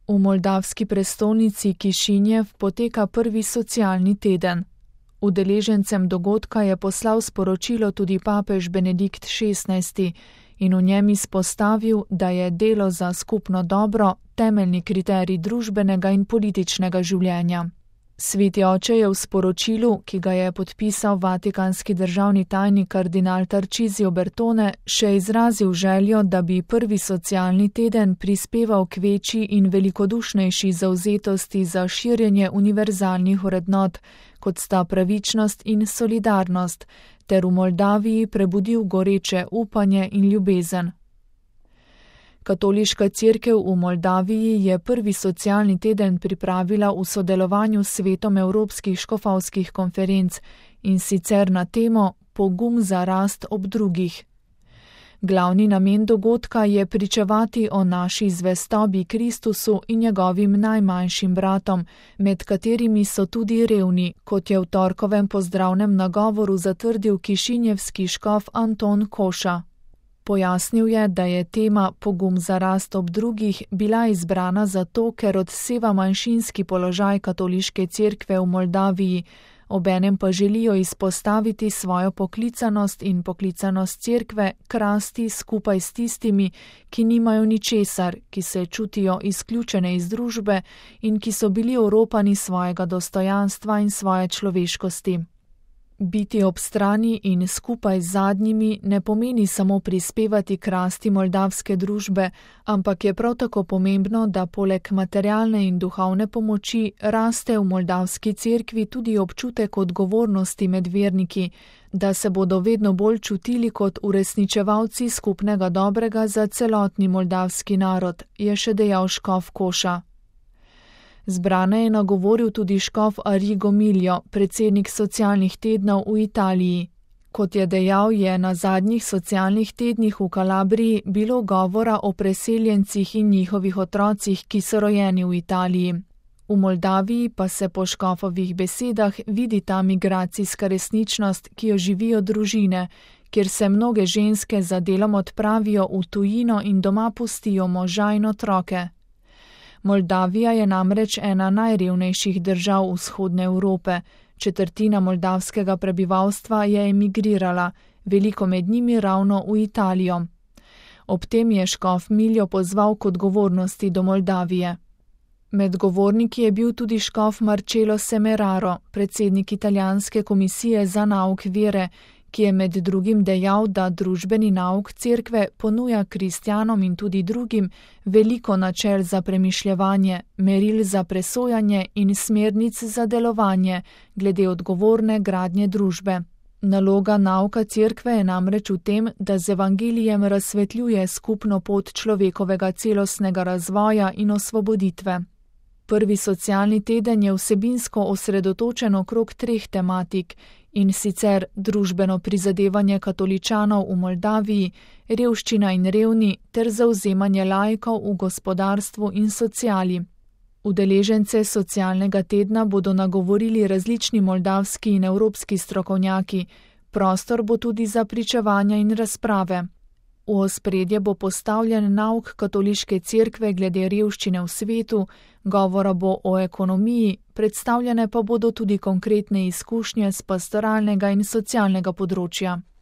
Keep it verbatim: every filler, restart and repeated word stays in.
V moldavski prestolnici Kišinjev poteka prvi socialni teden. Udeležencem dogodka je poslal sporočilo tudi papež Benedikt šestnajsti in v njem izpostavil, da je delo za skupno dobro temeljni kriterij družbenega in političnega življenja. Sveti oče je v sporočilu, ki ga je podpisal vatikanski državni tajnik kardinal Tarcisio Bertone, še izrazil željo, da bi prvi socialni teden prispeval k večji in velikodušnejši zavzetosti za širjenje univerzalnih vrednot, kot sta pravičnost in solidarnost, ter v Moldaviji prebudil goreče upanje in ljubezen. Katoliška cerkev v Moldaviji je prvi socialni teden pripravila v sodelovanju s Svetom evropskih škofovskih konferenc in sicer na temo Pogum za rast ob drugih. Glavni namen dogodka je pričevati o naši zvestobi Kristusu in njegovim najmanjšim bratom, med katerimi so tudi revni, kot je v torkovem pozdravnem nagovoru zatrdil kišinjevski škof Anton Koša. Pojasnil je, da je tema Pogum za rast ob drugih bila izbrana zato, ker odseva manjšinski položaj katoliške cerkve v Moldaviji, obenem pa želijo izpostaviti svojo poklicanost in poklicanost cerkve k rasti skupaj s tistimi, ki nimajo ničesar, ki se čutijo izključene iz družbe in ki so bili oropani svojega dostojanstva in svoje človeškosti. Biti ob strani in skupaj z zadnjimi ne pomeni samo prispevati k rasti moldavske družbe, ampak je prav tako pomembno, da poleg materialne in duhovne pomoči raste v moldavski cerkvi tudi občutek odgovornosti med verniki, da se bodo vedno bolj čutili kot uresničevalci skupnega dobrega za celotni moldavski narod, je še dejal škof Koša. Zbrane je nagovoril tudi škof Arrigo Miljo, predsednik socialnih tednov v Italiji. Kot je dejal, je na zadnjih socialnih tednih v Kalabriji bilo govora o preseljencih in njihovih otrocih, ki so rojeni v Italiji. V Moldaviji pa se po škofovih besedah vidi ta migracijska resničnost, ki jo živijo družine, kjer se mnoge ženske za delom odpravijo v tujino in doma pustijo moža in otroke. Moldavija je namreč ena najrevnejših držav vzhodne Evrope. Četrtina moldavskega prebivalstva je emigrirala, veliko med njimi ravno v Italijo. Ob tem je škof Miljo pozval k odgovornosti do Moldavije. Med govorniki je bil tudi škof Marcello Semeraro, predsednik italijanske komisije za nauk vere, ki je med drugim dejal, da družbeni nauk cerkve ponuja kristjanom in tudi drugim veliko načel za premišljevanje, meril za presojanje in smernic za delovanje glede odgovorne gradnje družbe. Naloga nauka cerkve je namreč v tem, da z evangelijem razsvetljuje skupno pot človekovega celostnega razvoja in osvoboditve. Prvi socialni teden je vsebinsko osredotočen okrog treh tematik, in sicer družbeno prizadevanje katoličanov v Moldaviji, revščina in revni ter zavzemanje laikov v gospodarstvu in sociali. Udeležence socialnega tedna bodo nagovorili različni moldavski in evropski strokovnjaki, prostor bo tudi za pričevanja in razprave. V ospredje bo postavljen nauk katoliške cerkve glede revščine v svetu, govora bo o ekonomiji, predstavljene pa bodo tudi konkretne izkušnje z pastoralnega in socialnega področja.